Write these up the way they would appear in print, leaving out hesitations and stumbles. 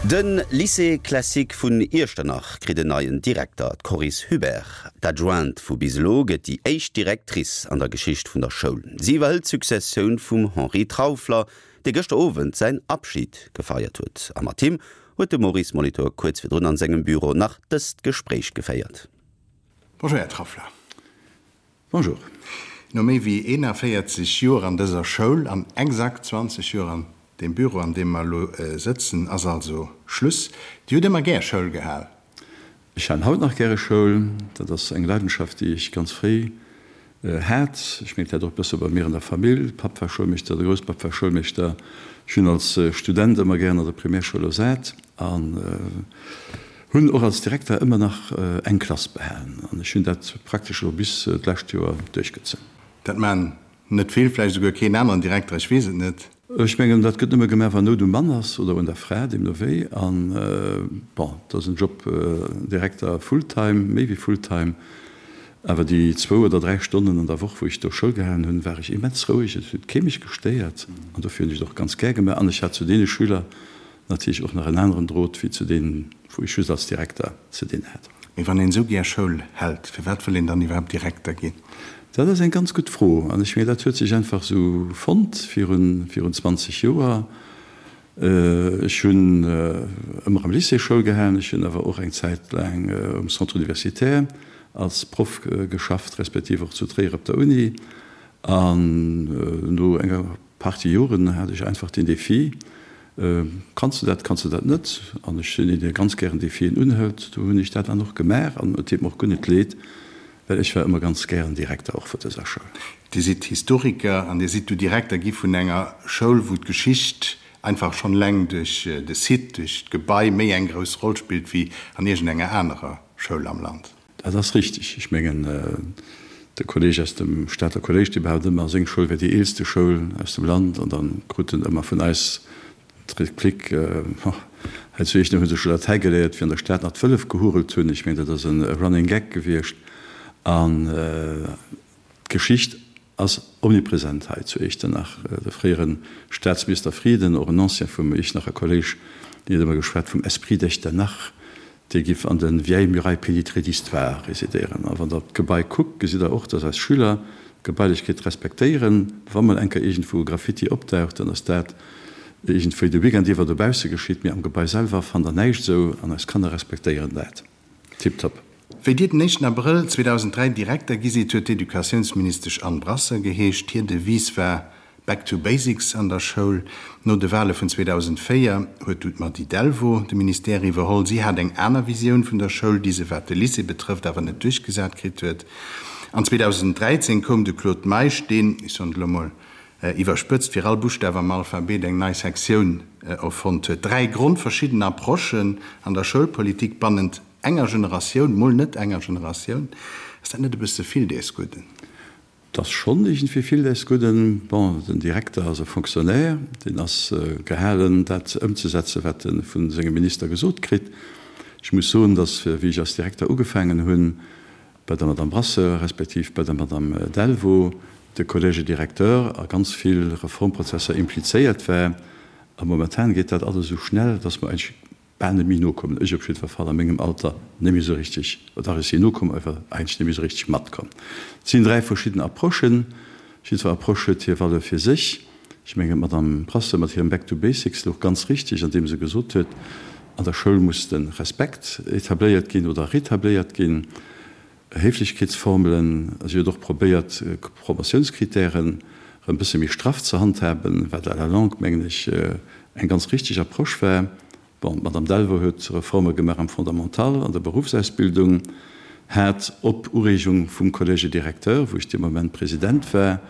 De Lycée classique vun Iechternach kritt en neien Direkter, d'Coris Hubert. D'Adjointe vu bis elo gëtt déi éischt Directrice an der Geschicht vun der Schoul. Si iwwerhëlt d'Successioun vum Henri Trauffler, dee gëschter Owend säin Abschid gefeiert huet. A mat him huet de Maurice Molitor kuerz virdrun an sengem Büro nach dëst Gespréich geféiert. Bonjour Här Trauffler. Bonjour. No méi wéi 41 Joer an dëser Schoul an exakt 20 Joer an deem Büro, an deem mer elo sëtzen, ass also Schluss. Dir hutt ëmmer gär Schoul gehal? Ech halen haut nach gäre Schoul. Dat ass eng Leidenschaft, déi ech ganz fréi hat. Ech mengen, dat och e bësse bei mir an der Famill. Papp war Schoulmeeschter, de Grousspapp war Schoulmeeschter. Ech hunn als Student ëmmer gären an der Primärschoul ersat an Hunn och als Direkter ëmmer nach eng Klass behalen an ech hunn dat praktesch elo bis d'lescht Joer duerchgezunn. Dat maachen net vill, vläicht esouguer keen aneren Direkter, ech weess et net. Ech mengen, dat gëtt nëmme gemaach, wann Nout um Mann ass oder un der Fra, deemno wéi. An, bon, dat ass en Job, Direkter full-time, méi wéi full-time. Awer déi zwou oder dräi Stonnen an der Woch, wou ech do Schoul gehalen hunn, war ech immens roueg, et huet kee mech gestéiert an dofir hunn ech et och ganz gär gemaach. An ech hat zu deene Schüler Natierlech och nach en aneren Drot wéi zu deenen, wou ech just als Direkter ze dinn hat. Mee wann een esou gär Schoul hält, firwat wëll een dann iwwerhaapt Direkter ginn? Dat ass eng ganz gutt Fro. An ech mengen, dat huet sech einfach esou fonnt virun, virun 20 Joer. Ech hunn ëmmer am Lycée Schoul gehalen, ech hunn awer och eng Zäit laang um Centre universitaire als Proff geschafft, respektiv och zu Tréier op der Uni. An no enger Partie Joren hat ech einfach den Defi, Kanns de dat, kanns de dat net? An ech sinn een, dee ganz gären Defien unhëlt. Do hunn ech dat dann och gemaach an et deet mer och guer net leed, well ech war ëmmer ganz gären Direkter och vun dëser Schoul. Dir sidd Historiker an Dir sidd du Direkter gi vun enger Schoul, wou d'Geschicht einfach schonn eleng duerch de Site, duerch d'Gebai méi eng grouss Roll spillt wéi an iergendenger anerer Schoul am Land. Dat ass richtig. Ech mengen, de Kolleg aus dem Stater Kolléisch, dee behaupt ëmmer, seng Schoul wär déi eelste Schoul aus dem Land. An da krut en ëmmer vun eis d'Replik, Oh, hei zu Iechternach hu se scho Latäi geléiert, wéi an der Stad nach d'Wëllef gehurelt hunn. Ech mengen, dat ass e Running Gag gewiescht. An d'Geschicht ass omnipresent hei zu Iechternach. De fréiere Staatsminister Frieden, och en Ancien vum Iechternacher Kolléisch, deen huet ëmmer geschwat vum Esprit d'Echternach. Dee giff an de vieilles murailles pénétrées d'histoire résidéieren. A wann Der d'Gebai kuckt, gesitt Der och, dass eis Schüler d'Gebailechkeet respektéieren. Wa mol eng Kéier iergendwou e Graffiti opdaucht, dann ass dat iergendwéi de Weekend iwwer dobausse geschitt, mee am Gebai selwer fannt Der näischt esou. An eis Kanner respektéieren dat tiptop. Wéi Dir den éischten Abrëll 2003 Direkter gi sidd, huet d'Educatiounsministesch Anne Brasseur geheescht. Hir Devise war Back to basics an der Schoul. No de Wale vun 2004 huet du d'Mady Delvaux de Ministère iwwerholl. Si hat eng aner Visioun vun der Schoul, déi se, wat de Lycée betrëfft, awer net duerchgesat kritt huet. An 2013 koum de Claude Meisch, deen, ech soen et elo mol iwwerspëtzt, fir all Buschtaf am Alphabet eng nei Sektioun erfonnt huet. Dräi grondverschidden Approchen an der Schoulpolitik bannent enger Generatioun, mol net enger Generatioun. Ass dat net e bësse vill dees Gudden? 't ass schonn iergendwéi vill des Gudden. Bon, den Direkter ass e Fonctionnaire, deen ass gehalen, dat ëmzesetzen, wat e vu sengem Minister gesot kritt. Ech muss soen, datt, wéi ech als Direkter ugefaangen hunn, bei der Madame Brasseur respektiv bei der Madame Delvaux, de Collège directeur a ganz vill Reformprozesser implizéiert war. A momentan geet dat alles esou schnell, datt mer eigentlech Bal net méi nokommen, ech op jiddwer Fall a mengem Alter net méi esou richteg, dach ech sinn nokomm, awer eigentlech net méi esou richteg matkomm. Et sinn dräi verschidden Approchen, jiddwer Approche huet hir Valeur fir sech. Ech mengen, d'Madame Brasseur mat hirem Back to basics louch ganz richteg, andeem se gesot huet, an der Schoul muss de Respekt etabléiert ginn oder retabléiert ginn, Héiflechkeetsformelen. Si huet och probéiert, Promotiounskritären erëm e bësse méi straff ze handhaben, wat à la longue, mengen ech, eng ganz richteg Approche war. Bon, d'Madame Delvaux huet Reforme gemaach am Fondamental, an der Beruffsausbildung, hat op Ureegung vum Collège directeur, wou ech dee Moment President war,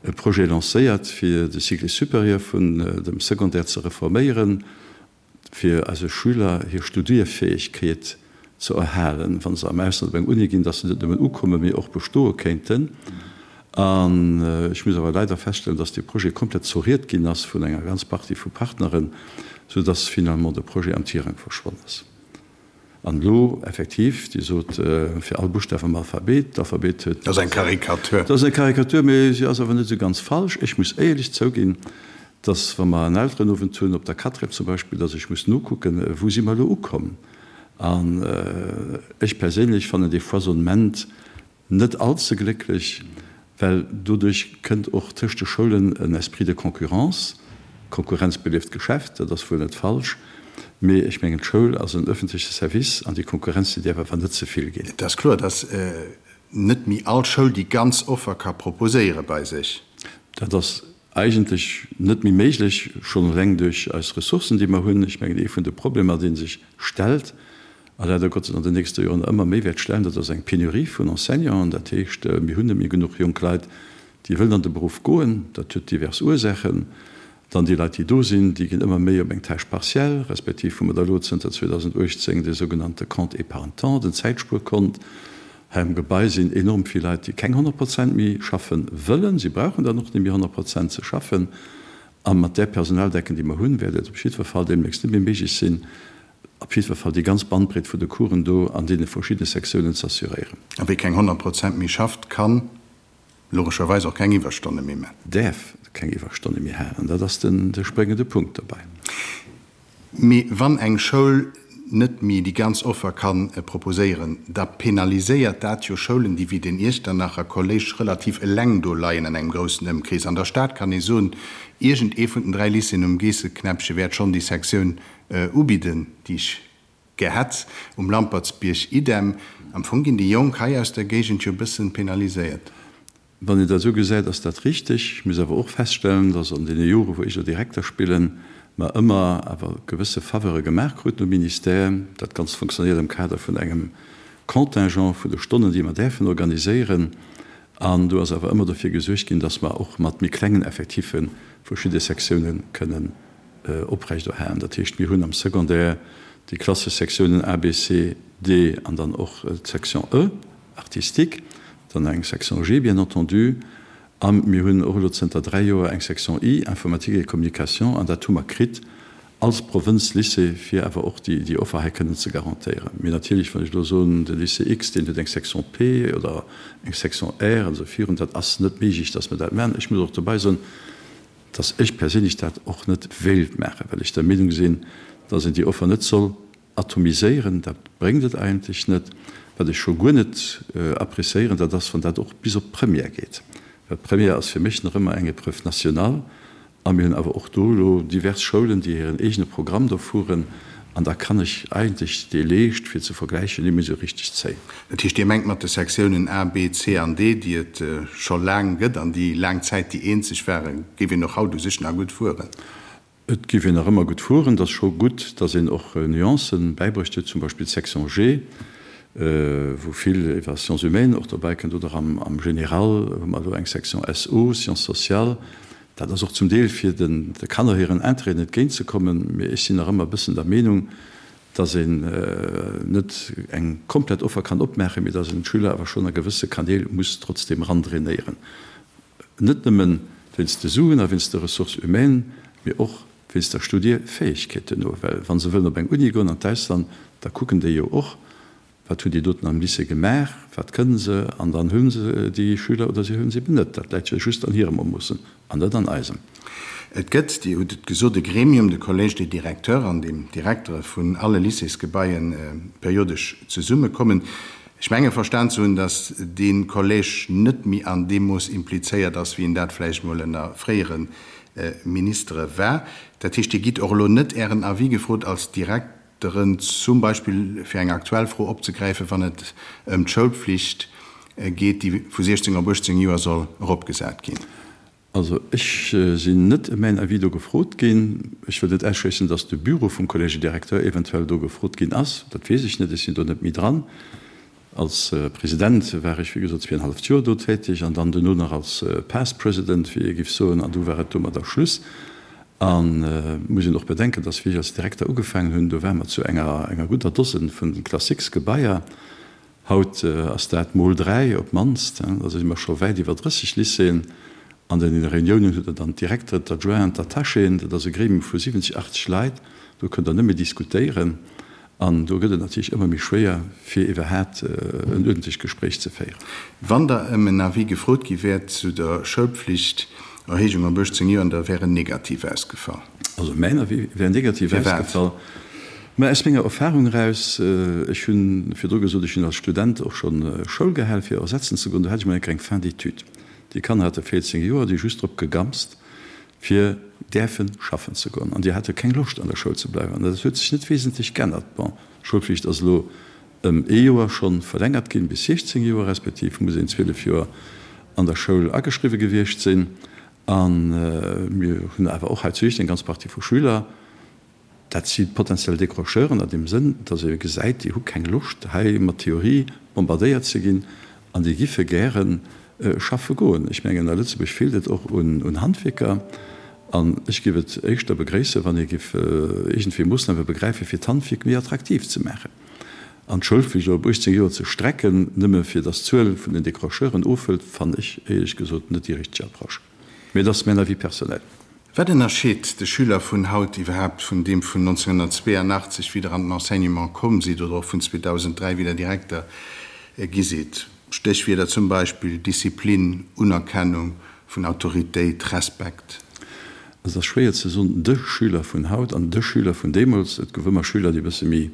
e Projet lancéiert, fir de Cycle supérieur vun dem Secondaire ze reforméieren, fir eise Schüler hir Studierfäegkeet ze erhalen, wa se am Ausland op eng Uni ginn, dass se net nëmmen ukommen, mee och bestoe kéinten. An ech muss awer leider feststellen, dass dee Projet komplett zoriert ginn ass vun enger ganz Partie vu Partneren, soudass finalement de Projet am Tirang verschwonn ass. An elo effektiv, Dir sot, fir all Buschtaf am Alphabet, d'Alphabet huet. Dat ass eng Karikatur. Dat ass eng Karikatur, mee si ass awer net esou ganz falsch. Ech muss éierlech zouginn. Dass, wa mer en Elterenowend hunn, op der Quatrième zum Beispill, dass ech muss nokucken, wou si mer elo ukomm. An ech perséinlech fannen dee Foisonnement net all ze glécklech, well doduerch kënnt och tëscht de Schoulen en Esprit de concurrence. Konkurrenz belieft d'Geschäft, dat ass wuel net falsch, mee ech mengen, d'Schoul ass en öffentleche Service an déi Konkurrenz, déi däerf awer net ze vill ginn. Et ass kloer, dass net méi all Schoul déi ganz Offer ka proposéiere bei sech. Dat ass Eigentlech net méi méiglech, schonn eleng duerch eis Ressourcen, déi mer hunn. Ech mengen, ee vun de Problemer, dee sech stellt a leider Gottes an den nächste Joren ëmmer méi wäert stellen, dat ass eng Penurie vun Enseignanten. Dat heescht, mir hunn net méi genuch jonk Leit, déi wëllen an de Beruff goen. Dat huet divers Ursaachen. Dann déi Leit, déi do sinn, déi ginn ëmmer méi op eng Tâche partielle, respektiv hu mer da elo zënter 2018 dee sougenannte Compte épargne-temps, den Zäitspuerkont. Hei am Gebai sinn enorm vill Leit, déi keng 100 Prozent méi schaffe wëllen. Si brauchen dann och net méi 100 Prozent ze schaffen. A mat där Personaldecken, déi mer hunn, wäert et op jiddwer Fall deemnächst net méi méiglech sinn, op jiddwer Fall déi ganz Bandbreet vun de Coursen do an deene verschiddene Sektiounen ze assuréieren. A wie keng 100 Prozent méi schafft, kann logescherweis och keng Iwwerstonne méi man. Däerf keng Iwwerstonne méi halen. Dat ass de spréngende Punkt dobäi. Mee wann eng Schoul net méi déi ganz Offer ka proposéieren, da penaliséiert dat jo Schoulen, déi wéi den Iechternacher Kolléisch relativ eleng do leien an engem groussen Ëmkrees. An der Stad kann ee soen, iergend ee vun den 3 Lycéeën um Geesseknäppche wäert schonn déi Sektioun ubidden, déi ech gär hätt. Um Lampertsbierg idem. Am Fong ginn déi Jonk hei aus der Géigend jo e bëssen penaliséiert. Wann een dat esou gesäit, ass dat richteg. Ech muss awer och feststellen, dass an deene Jore wou ech elo Direkter spillen, mer ëmmer awer gewësse Faveure gemaach kruten um Ministère. Dat Ganzt fonctionnéiert am Kader vun engem Contingent vun de Stonnen, déi mer däerfen organiséieren. An do ass awer ëmmer dofir gesuergt ginn, dass mer och mat méi klengen Effectiffe verschidde Sektiounen kënnen oprechterhalen. Dat heescht, mir hunn am Secondaire déi klassesch Sektiounen A, B, C, D an dann och d'Section E, artistique, dann eng Section G bien entendu, a mir hunn och elo zënter 3 Joer eng Section I, Informatique et communication, an dat hu mer kritt als Provënzlycée, fir awer och déi Offer hei kënnen ze garantéieren. Mee natierlech, wann ech elo soen, de Lycée X, deen huet eng Section P oder eng Section R an esou virun, dat ass net méiglech, dass mer dat maachen. Ech muss och dobäi soen, dass ech perséinlech dat och net wéilt maachen, well ech der Meenung sinn, dass een déi Offer net soll Atomiséieren, dat bréngt et eigentlech net. Wat ech scho guer net appréciéieren, dat ass, wann dat och bis op d'Première geet. Well d'Première ass fir mech nach ëmmer eng Épreuve nationale. A mir hunn awer och do elo divers Schoulen, déi hiren eegene Programm do fueren. An da kann ech eigentlech dee Leescht, fir ze vergläichen, net méi esou richteg zéien. Dat heescht, Dir mengt mat de Sektiounen A, B, C an D, déi et scho laang gëtt an déi laang Zäit déi eenzeg waren, géif een och haut u sech nach gutt fueren? Et géif een nach ëmmer gutt fueren. Et ass scho gutt, datt een och Nuancen bäibruecht huet, zum Beispill d'Section G, wou vill iwwer Sciences humaines och dobäi kënnt, oder am Général hu mer elo eng Section SO, Sciences sociales. Dat ass och zum Deel fir de Kanner hiren Intérêten entgéintzekommen. Mee ech sinn nach ëmmer e bëssen der Meenung, datt een net eng komplett Offer kann opmaachen, mee datt een d'Schüler awer schonn a gewësse Kanäl muss trotzdem erandrainéieren. Net nëmmen wéinst de Suen a wéinst de Ressources humaines, mee och wéinst der Studierfäegkeet duerno. Well wa se wëllen op eng Uni goen an d'Ausland, da kucken déi jo och, wat hunn déi doten am Lycée gemaach, wat kënnen se, an dann hu se déi Schüler oder se hu se eben net. Dat läit jo just an hirem Ermoossen an net an eisem. Et gëtt, Dir hutt et gesot, e Gremium, de Collège des directeurs, an deem d'Direktere vun alle Lycéesgebaien periodesch zesummekommen. Ech menge verstan ze hunn, datt dee Collège net méi an deem Mooss implizéiert ass, wéi en dat vläicht mol ënner fréiere Ministere war. Dat heescht, Dir gitt och elo net Ären Avis gefrot als Direkteren, zum Beispill fir eng aktuell Fro opzegräifen, wann et ëm d'Schoulpflicht geet, déi vu 16 op 18 Joer soll eropgesat ginn? Also ech sinn net ëm mäin Avis do gefrot ginn. Ech wëll net ausschléissen, dass de Bureau vum Collège des Directeurs eventuell do gefrot ginn ass. Dat weess ech net, ech sinn do net méi dran. Als President war ech, wéi gesot, zweeënhalleft Joer do täteg an dann duerno nach als Past President, wéi ee giff soen, an du war et domadder Schluss. An et muss een och bedenken, dass wéi ech als Direkter ugefaangen hunn, do ware mer zu enger enger gudder Dosen vun Classiques-Gebaier. Haut ass dat mol 3 op d'mannst, also si mer scho wäit iwwer 30 Lycéeën. An den Reuniounen hutt Der dann d'Direkteren, d'Adjointen, d'Attachéen. Dat ass e Gremium vu 70, 80 Leit. Do kënnt Der nëmme diskutéieren. An do gëtt et natierlech ëmmer méi schwéier, fir iwwerhaat en uerdentlecht Gespréich ze féieren. Wann Der ëm en Avis gefrot gi wäert zu der Schoulpflicht. Erhéijung op 18 Joer an da wär en negativ ausgefall. Also mäin Avis wär negativ ausgefall. Mä aus menger Erfahrung eraus, ech hu virdru gesot, ech hunn als Student och scho Schoul gehal fir ersetzen ze goen, do hat ech mol eng kleng Fin d'études. Déi Kanner hate 14 Joer, déi just drop gegamst fir däerfe schaffen ze goen an déi hate keng Loscht an der Schoul ze bleiwen. An dat huet sech net wesentlech g'ännert. Bon, d'Schoulflicht ass elo ëm ee Joer scho verlängert ginn, bis 16 Joer, respektiv muss een 12 Joer an der Schoul ageschriwwe gewiescht sinn. A mir hunn awer och hei zu Iech eng ganz Partie vu Schüler, dat si potentiell Décrocheuren an deem Sënn, datt ee gesäit, déi hu keng Loscht hei mat Theorie bombardéiert ze ginn an déi giffe gäre schaffe goen. Ech mengen, a Lëtzebuerg feelt et och un Handwierker an ech géif et éischter begréissen, wann ee géif iergendwéi Moossname begräifen, fir d'Handwierk méi attraktiv ze maachen an d'Schoulflicht elo op 18 Joer ze strecken, nëmme fir datt d'Zuel vun den Décrocheuren ofhëlt, fannen ech éierlech gesot net déi richteg Approche. Mee et ass mäin Avis personnel. Wat ënnerscheet de Schüler vun haut iwwerhaapt vun deem vun 1982, wéi Der an den Enseignement komm sidd, oder och vun 2003, wéi Der Direkter gi sidd? Stéchwierder zum Beispill Disziplin, Unerkennung vun Autoritéit, Respekt. Et ass schwéier ze soen, de Schüler vun haut an de Schüler vun deemools. Et gouf ëmmer Schüler, déi e bësse méi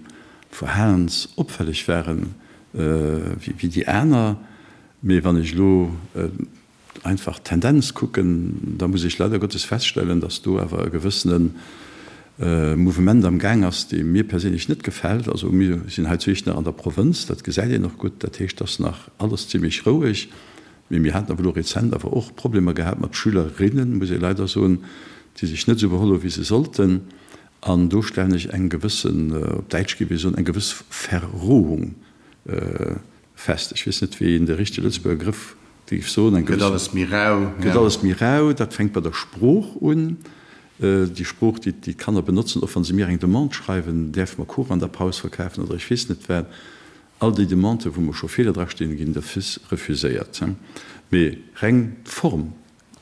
verhalensopfälleg waren wéi déi aner. Mee wann ech elo einfach d'Tendenz kucken, da muss ech leider Gottes feststellen, dass do awer e gewëssene Mouvement am Gaang ass, dee mir perséinlech net gefält. Also mir sinn hei zu Iechternach an der Provënz, dat gesäit een och gutt, dat heescht, dass nach alles zimlech roueg, mee mir haten awer elo rezent awer och Problemer gehat mat Schülerinnen, muss ee leider soen, déi sech net esou beholl hu wéi se sollten. An do stellen ech eng gewëssen, op Däitsch géif ee soen, eng gewëss Verrohung fest. Ech weess net, wéi een de richtege Lëtzebuerger Grëff géif soen. Eng gewëss. Gëtt alles méi rau. Gëtt alles méi rau. Dat fänkt bei der Sprooch un. Déi Sprooch, déi d'Kanner benotzen, och wa se mir eng Demande schreiwen, däerfe mer Kuch an der Paus verkafen oder ech weess net wat. All déi Demanden, wou mer scho Feeler drastinn, ginn d'office refuséiert. Mee reng d'Form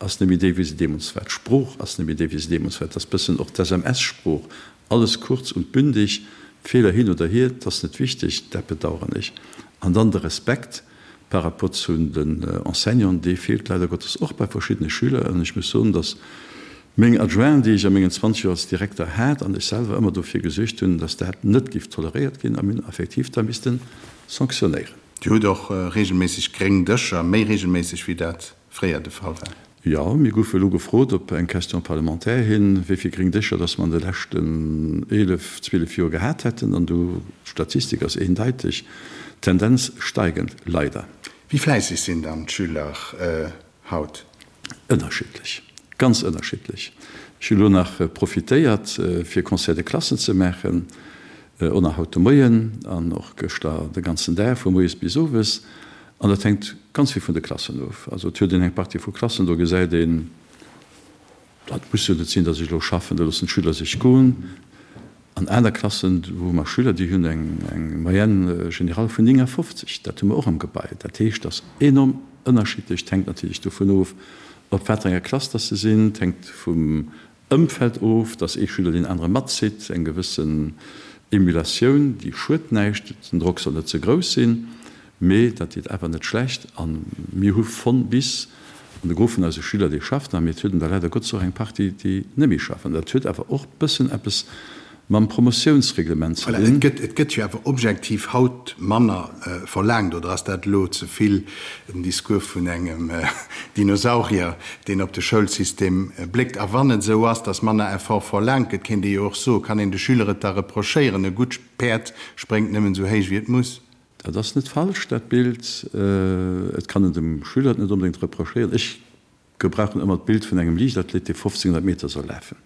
ass net méi déi, wéi se deemools war. D'Sprooch ass net méi déi, wéi se deemools war. Et ass bëssen och d'SMS-Sprooch, alles kurz und bündig, Feeler hin oder hier, 't ass net wichteg. Dat bedauern ech. An dann de Respekt par rapport zu den Enseignanten, dee feelt leider Gottes och bei verschiddene Schüler. An ech muss soen, dass meng Adjointen, déi ech a mengen 20 Joer als Direkter hat, an ech selwer ëmmer dofir gesuergt hunn, dass dat net géif toleréiert ginn a mir hunn effektiv da misste sanktionéieren. Dir hutt och regelméisseg gréng Dëscher, méi regelméisseg wéi dat fréier de Fall war. Jo, mir goufe elo gefrot op eng Question parlementaire hin, wéi vill gréng Dëscher dass mer an de leschten 11, 12 Joer gehat hätten. An do, d'Statistik ass eendeiteg, Tendenz steigend, leider. Wéi fläisseg sinn dann d'Schüler haut? Ënnerschiddlech, ganz ënnerschiddlech. Ech hu lo nach profitéiert, fir Conseil de classe ze maachen, och nach haut de Moien an och gëschter de ganzen Dag, vu moies bis owes. An dat hänkt ganz vill vun de Klassen of. Also et huet een eng Partie vu Klassen, do gesäit een, dat muss jo net sinn, datt ech elo schaffen, do loossen d'Schüler sech goen. An aner Klassen, do hu mer Schüler, déi hunn eng Moyenne générale vun 59, dat hu mer och am Gebai. Dat heescht, dat ass enorm ënnerschiddlech. Et hänkt natierlech dovun of, op wat fir enger Klass datt se sinn. Et hänkt vum Ëmfeld of, dass ee Schüler deen anere matzitt, eng gewëssen Emulatioun, déi schued näischt, den Drock soll net ze grouss sinn, mee dat deet awer net schlecht. A mir hu von bis, an de Gros vun eise Schüler, déi schafft nach, mee et huet een der leider Gottes och eng Partie, déi net méi schaffen. Dat huet awer och bëssen eppes mam Promotiounsreglement ze Voilà, et dinn. gëtt, et gëtt jo awer objektiv haut manner verlaangt, oder ass dat elo ze vill den Discours vun engem Dinosaurier, deen op de Schoulsystem bléckt? A wann et esou ass, datt manner Effort verlaangt gëtt, kéint ee jo och soen, kann een de Schüler et da reprochéieren, e gutt Päerd spréngt nëmmen esou héich wéi et muss. Dat ass net falsch, dat Bild. Et kann een dem Schüler et net onbedéngt reprochéieren. Ech Gebrauchen ëmmer d'Bild vun engem Liichtathlet, dee 1500 Meter soll lafen.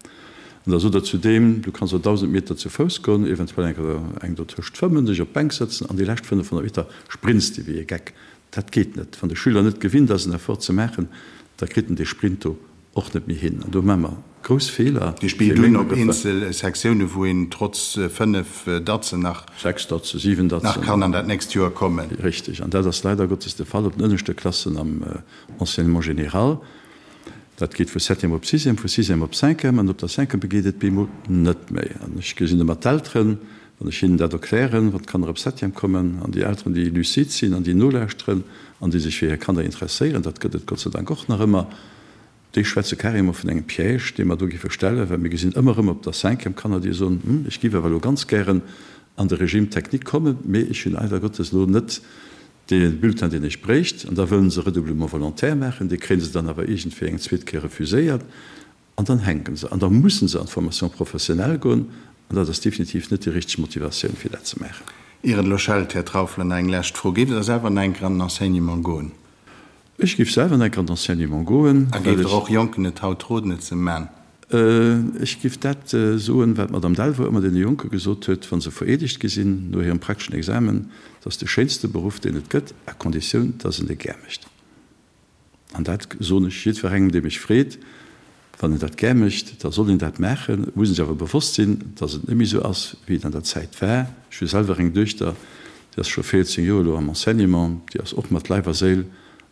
An da sot er zu deem, Du kanns och 1.000 Meter zu Fouss goen, eventuell eng Kéier eng dotëscht fëmmen, dech op d'Bänk sëtzen an déi lescht 500 Meter sprints de wéi e Geck. Dat geet net. Wann de Schüler net gewinnt ass, en Effort ze maachen, da kritt en dee Sprint do och net méi hin. An do maache mer grouss Feeler. Dir spillt un op eenzel Sektiounen, wou een trotz 5 Datzen nach 6 Datzen, 7 Datzen. nach kann an dat nächst Joer kommen. Richtig. An dat ass leider Gottes de Fall op den ënneschte Klassen am Enseignement général, dat geet vu Septième op Sixième, vu Sixième op Cinquième, an op der Cinquième geet et bemol net méi. An ech gesinn ëmmer d'Elteren, wann ech hinnen dat erklären, wann d'Kanner op Septième kommen, an déi Elteren, déi lucide sinn an déi nolauschteren an déi sech fir hir Kanner interesséieren, dat gëtt et Gott sei Dank och nach ëmmer. Déi schwätze carrément vun engem Piège, dee mer do géife stellen, well mir gesinn ëmmer erëm op der Cinquième Kanner, déi soen, Hm, ech géif awer elo ganz gären an de Régime technique kommen, mee ech hunn leider Gottes elo net dee Bulletin, deen ech bréicht. An da wëllen se Redoublement volontaire maachen, dee kréie se dann awer iergendwéi eng zweet Kéier refuséiert an dann hänke se an da musse se an d'Formation professionnelle goen an dat ass definitiv net déi richteg Motivatioun, fir dat ze maachen. Ier et elo schellt, Här Trauffler, nach eng lescht Fro, Géift Der selwer nach eng Kéier an den Enseignement goen? Ech géif selwer enk an d'Enseignement goen, A géift Der och Jonken et haut roden, et ze man? Ech géif dat soen, wat d'Madame Delvaux ëmmer deene Jonke gesot huet, wa se vereedegt gi sinn no hirem prakteschen Examen, Et ass de schéinste Beruff, deen et gëtt, à conditioun, dass en e gär mécht. An dat soen ech jiddwerengem, dee mech freet, Wann een dat gär mécht, da soll een dat maachen. Et muss een sech awer bewosst sinn, dass et net méi esou ass, wéi et an der Zäit war. Ech hu selwer eng Duechter, déi ass scho 14 Joer elo am Enseignement, déi ass och mat Leif a Séil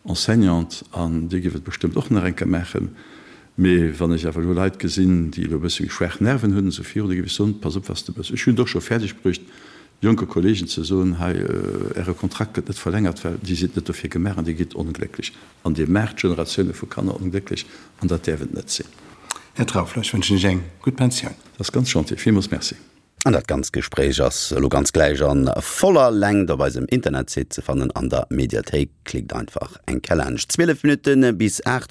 Enseignante an déi géif et bestëmmt och nach eng Kéier maachen. Mee wann ech awer elo Leit gesinn, déi elo e bësse méi schwaach Nerven hunn, esou virun, da géif ech soen, Pass op, wat s de méchs. Ech hunn et och scho fäerdeg bruecht, jonke Kollegen ze soen, Hei, Äre Kontrakt gëtt net verlängert, well Dir sidd net dofir gemaach an Dir gitt onglécklech. An Dir maacht Generatioune vu Kanner onglécklech, an dat däerf et net sinn. Här Trauffler, ech wënschen Iech eng gutt Pensioun. Dat ass ganz gentil. Villmools Merci. An dat ganzt Gespréich ass elo ganz gläich an voller Längt op eisem Internetsite ze fannen an der Mediathéik. Klickt einfach eng Kéier laanscht. 12 Minutte bis 8.